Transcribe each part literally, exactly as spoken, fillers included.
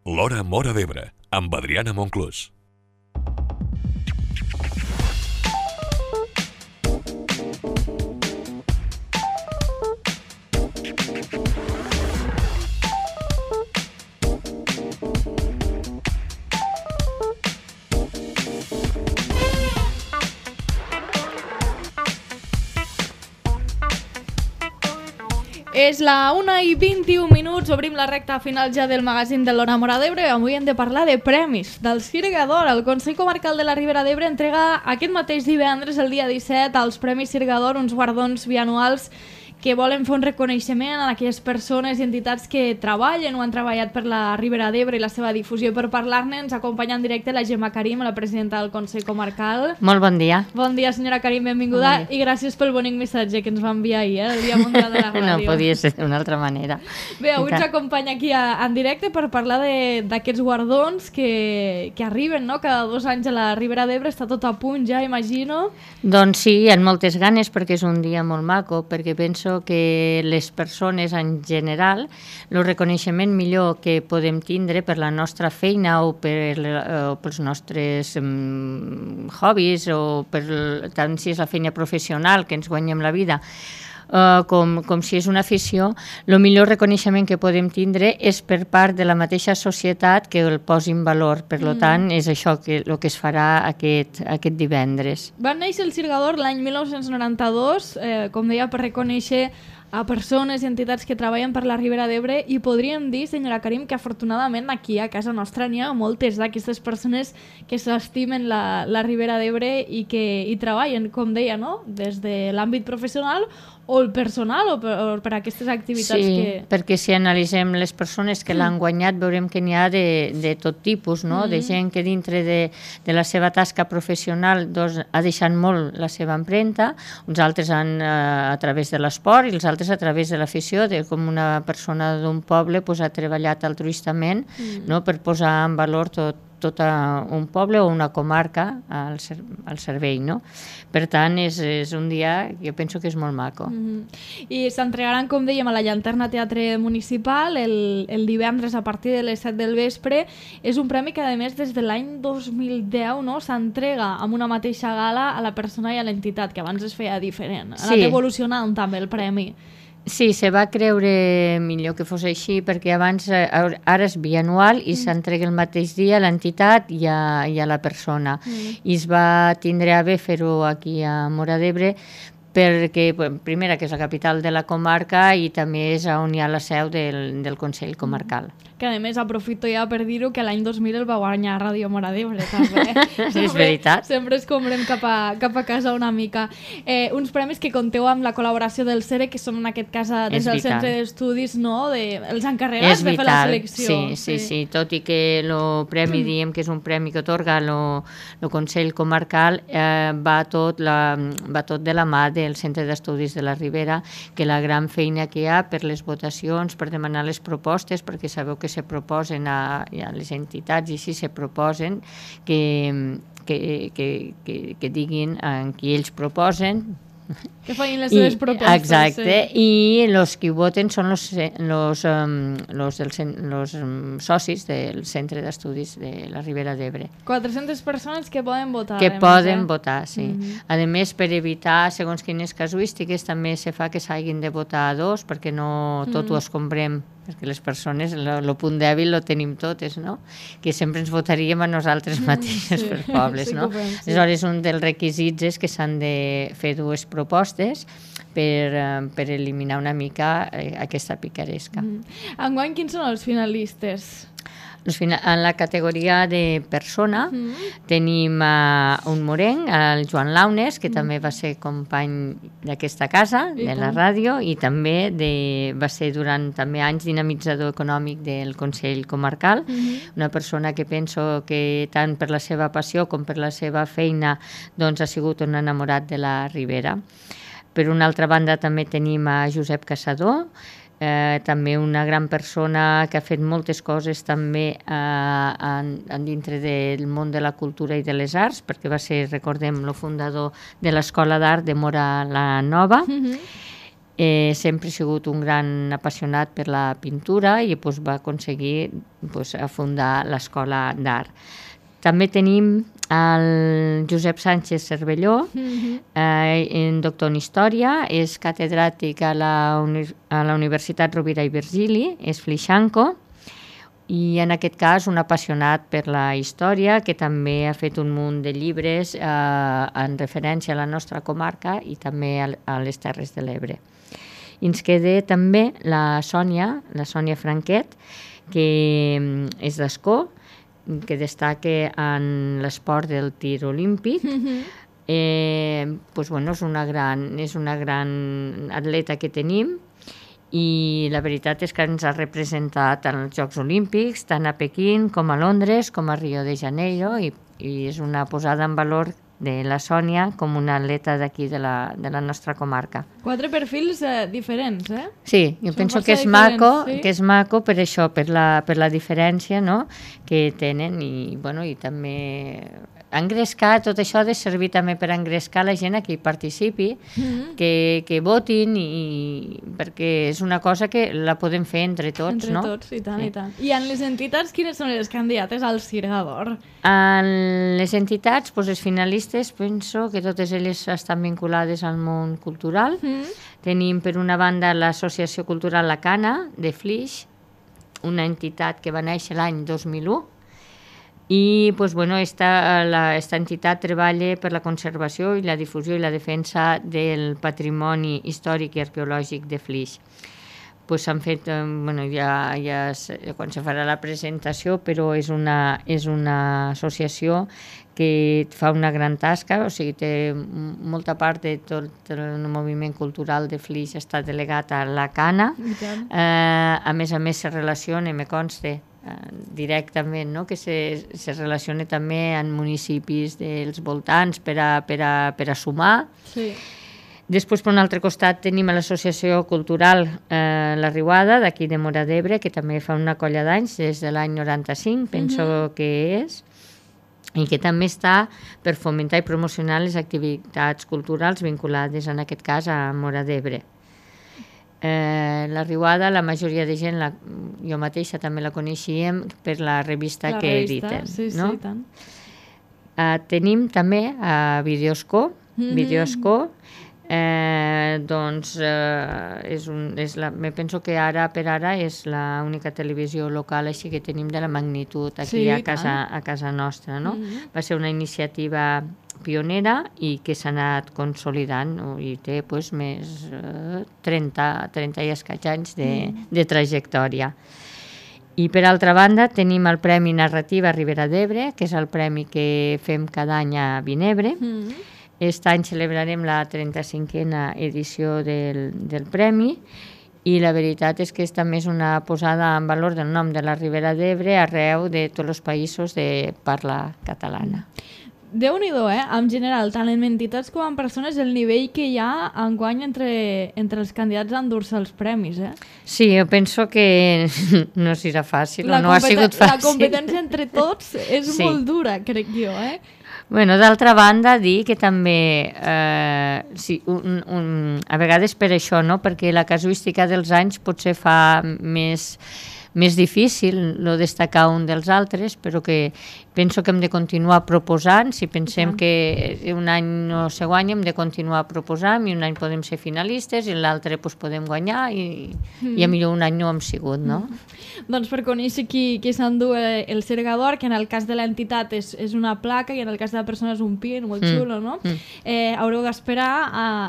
L'Hora Móra d'Ebre, amb Adriana Monclús. És la una i vint-i-un minuts, obrim la recta final ja del magazín de l'Hora Móra d'Ebre. Avui hem de parlar de premis del Sirga d'Or. El Consell Comarcal de la Ribera d'Ebre entrega aquest mateix divendres, el dia disset, als Premis Sirga d'Or, uns guardons bianuals que volen fer un reconeixement a aquelles persones i entitats que treballen o han treballat per la Ribera d'Ebre i la seva difusió. Per parlar-ne ens acompanya en directe la Gemma Karim, la presidenta del Consell Comarcal. Molt bon dia. Bon dia, senyora Karim, benvinguda, bon i gràcies pel bonic missatge que ens va enviar ahir, eh, el Dia Mundial de la Ràdio. No podia ser d'una altra manera. Bé, avui ens acompanya aquí a, en directe per parlar d'aquests guardons que, que arriben, no?, cada dos anys a la Ribera d'Ebre. Està tot a punt ja, imagino. Doncs sí, amb moltes ganes, perquè és un dia molt maco, perquè penso que les persones en general, el reconeixement millor que podem tindre per la nostra feina o, per, o pels nostres um, hobbies o per, tant si és la feina professional que ens guanyem la vida, Uh, com, com si és una afició, el millor reconeixement que podem tindre és per part de la mateixa societat que el posi en valor. Per mm. tant, és això que, el que es farà aquest, aquest divendres. Va néixer el Sirga d'Or l'any mil nou-cents noranta-dos, eh, com deia, per reconèixer a persones i entitats que treballen per la Ribera d'Ebre, i podríem dir, senyora Karim, que afortunadament aquí a casa nostra n'hi ha moltes d'aquestes persones que s'estimen la, la Ribera d'Ebre i que hi treballen, com deia, no?, des de l'àmbit professional o el personal o per, o per aquestes activitats. Sí, que... perquè si analitzem les persones que l'han guanyat veurem que n'hi ha de, de tot tipus, no? Mm. De gent que dintre de, de la seva tasca professional doncs, ha deixat molt la seva empremta, uns altres han, eh, a través de l'esport i els altres a través de l'afició, de com una persona d'un poble pues, ha treballat altruistament mm. no? per posar en valor tot tot un poble o una comarca al, ser, al servei, no? Per tant, és, és un dia que jo penso que és molt maco. Mm-hmm. I s'entregaran, com dèiem, a la Llanterna Teatre Municipal el, el divendres a partir de les set del vespre. És un premi que, a més, des de l'any dos mil deu no, s'entrega amb una mateixa gala a la persona i a l'entitat, que abans es feia diferent. Ha anat sí. evolucionant també el premi. Sí, se va creure millor que fos així, perquè abans, ara és bianual i mm. s'entrega el mateix dia a l'entitat i a, i a la persona. Mm. I es va tindre a bé fer-ho aquí a Móra d'Ebre, perquè, primera, que és la capital de la comarca i també és on hi ha la seu del, del Consell Comarcal. Que a més aprofito ja per dir-ho que l'any dos mil el va guanyar Ràdio Móra d'Ebre, també. Sí, és veritat. Sempre es comprem cap a, cap a casa una mica. Eh, uns premis que compteu amb la col·laboració del C E R E, que són en aquest cas des del Centre d'Estudis, no?, de, els encarregats de fer la selecció. Sí, sí, sí, sí. Tot i que el premi, diem que és un premi que atorga el Consell Comarcal, eh, va, tot la, va tot de la mà del Centre d'Estudis de la Ribera, que la gran feina que hi ha per les votacions, per demanar les propostes, perquè sabeu que se proposen a, a les entitats i si se proposen que, que, que, que, que diguin en qui ells proposen, que facin les seves propostes. Exacte, sí. I els que voten són els um, um, socis del Centre d'Estudis de la Ribera d'Ebre. quatre-centes persones que poden votar. Que poden eh? votar, sí. Mm-hmm. A més, per evitar, segons quines casuístiques, també se fa que s'hagin de votar a dos, perquè no tot mm-hmm. ho escombrem, perquè les persones, el punt dèbil lo tenim totes, no? Que sempre ens votaríem a nosaltres mateixes sí. per pobles, sí, no? Penso, sí. Aleshores, un dels requisits és que s'han de fer dues propostes per, per eliminar una mica eh, aquesta picaresca. Mm. Enguany, quins són els finalistes? En la categoria de persona mm. tenim uh, un morenc, el Joan Launes, que mm. també va ser company d'aquesta casa, I de la ràdio, i també de, va ser durant també anys dinamitzador econòmic del Consell Comarcal, mm. una persona que penso que tant per la seva passió com per la seva feina doncs, ha sigut un enamorat de la Ribera. Per una altra banda també tenim a Josep Caçador, Eh, també una gran persona que ha fet moltes coses també eh, en, en dintre del món de la cultura i de les arts, perquè va ser, recordem, el fundador de l'Escola d'Art de Móra la Nova. Mm-hmm. Eh, sempre ha sigut un gran apassionat per la pintura i pues, va aconseguir pues, fundar l'Escola d'Art. També tenim el Josep Sánchez Cervelló, mm-hmm. eh, doctor en Història, és catedràtic a la, uni a la Universitat Rovira i Virgili, és flixanco, i en aquest cas un apassionat per la història, que també ha fet un munt de llibres eh, en referència a la nostra comarca i també a, a les Terres de l'Ebre. I ens queda també la Sònia, la Sònia Franquet, que és d'Ascó, que destaca en l'esport del tir olímpic. Mm-hmm. eh, pues, bueno, és una gran, és una gran atleta que tenim, i la veritat és que ens ha representat en els Jocs Olímpics, tant a Pequín com a Londres, com a Rio de Janeiro, i, i és una posada en valor de la Sònia com una atleta d'aquí de, la, de la nostra comarca. Quatre perfils eh, diferents, eh? Sí, jo Són penso que és, maco, sí? que és maco per això, per la, per la diferència, no?, que tenen, i, bueno, i també engrescar, tot això ha de servir també per engrescar la gent a que hi participi, mm-hmm. que, que votin, i, perquè és una cosa que la podem fer entre tots, entre no? Entre tots, i tant, sí. i tant. I en les entitats, quines són les candidates al Sirga d'Or? En les entitats, doncs, les finalistes, penso que totes elles estan vinculades al món cultural. Mm-hmm. Tenim, per una banda, l'Associació Cultural La Cana, de Flix, una entitat que va néixer l'any dos mil u, i pues, bueno, esta, la, esta entitat treballa per la conservació i la difusió i la defensa del patrimoni històric i arqueològic de Flix. Pues, s'han fet, eh, bueno, ja, ja quan se farà la presentació, però és una, és una associació que fa una gran tasca, o sigui, té molta part de tot el moviment cultural de Flix està delegat a La Cana. Eh, a més a més se relaciona, me consta, directament, no? Que se, se relaciona també amb municipis dels voltants per a, per a, per a sumar. Sí. Després, per un altre costat, tenim l'Associació Cultural eh, La Riuada, d'aquí de Móra d'Ebre, que també fa una colla d'anys, des de l'any noranta-cinc, penso mm-hmm. que és, i que també està per fomentar i promocionar les activitats culturals vinculades, en aquest cas, a Móra d'Ebre. Eh, la Riuada, la majoria de gent, la, jo mateixa també la coneixíem per la revista la que revista, editen. Sí, no? Sí, tant. Eh, tenim també a Videosco, mm-hmm. Videosco, eh, doncs eh, és un, és la, me penso que ara per ara és l'única televisió local així que tenim de la magnitud aquí sí, a, casa, a casa nostra. No? Mm-hmm. Va ser una iniciativa pionera i que s'ha anat consolidant, no? I té pues, més eh, trenta, trenta i escaig anys de, mm. de trajectòria. I per altra banda tenim el Premi Narrativa Ribera d'Ebre, que és el premi que fem cada any a Vinebre. Mm. Aquest any celebrarem la trenta-cinquena edició del, del premi, i la veritat és que és també una posada en valor del nom de la Ribera d'Ebre arreu de tots els països de parla catalana. Déu-n'hi-do, eh? En general, tant en entitats com en persones, el nivell que hi ha enguany entre, entre els candidats a endur-se els premis, eh? Sí, jo penso que no serà fàcil, la no ha sigut fàcil. La competència entre tots és sí. molt dura, crec jo, eh? Bueno, d'altra banda, dir que també, eh, sí, un, un, a vegades per això, no? Perquè la casuística dels anys potser fa més... més difícil no destacar un dels altres, però que penso que hem de continuar proposant. Si pensem sí. que un any no se guanya, hem de continuar proposant, i un any podem ser finalistes i l'altre pues, podem guanyar, i, mm. i a millor un any no hem sigut, no? Mm. Doncs per conèixer qui, qui s'endú el Sirga d'Or, que en el cas de l'entitat és, és una placa i en el cas de la persona és un pin, molt mm. xulo, no? Mm. Eh, haureu d'esperar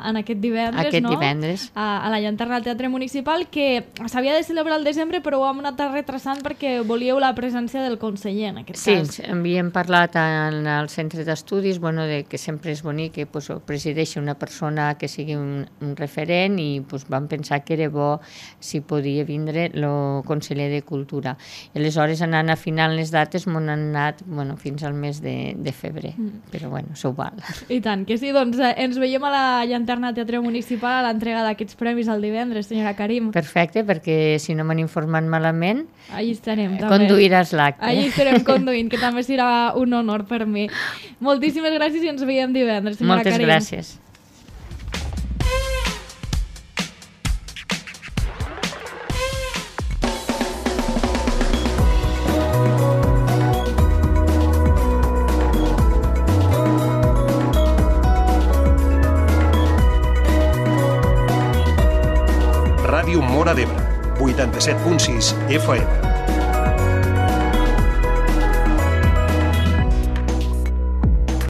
en aquest divendres, aquest no? divendres. A, a la llanterna del Teatre Municipal, que s'havia de celebrar al desembre, però ho hem anat retrasant perquè volíeu la presència del conseller, en aquest sí, cas. Sí, havíem parlat en el centre d'estudis, bueno, de que sempre és bonic que pues, presideixi una persona que sigui un, un referent, i pues, vam pensar que era bo si podia vindre el conseller de Cultura. I aleshores, anant afinant les dates, m'han anat bueno, fins al mes de, de febrer, mm. però bueno, s'ho val. I tant, que sí, doncs eh, ens veiem a la llanterna Teatre Municipal a l'entrega d'aquests premis el divendres, senyora Karim. Perfecte, perquè si no m'han informat malament, allí estarem, també. Conduiràs l'acte. Allí estarem conduint, que també serà un honor per mi. Moltíssimes gràcies i ens veiem divendres, senyora Moltes Karim. Moltes gràcies. Ràdio Móra d'Ebre, vuitanta-set punt sis F M.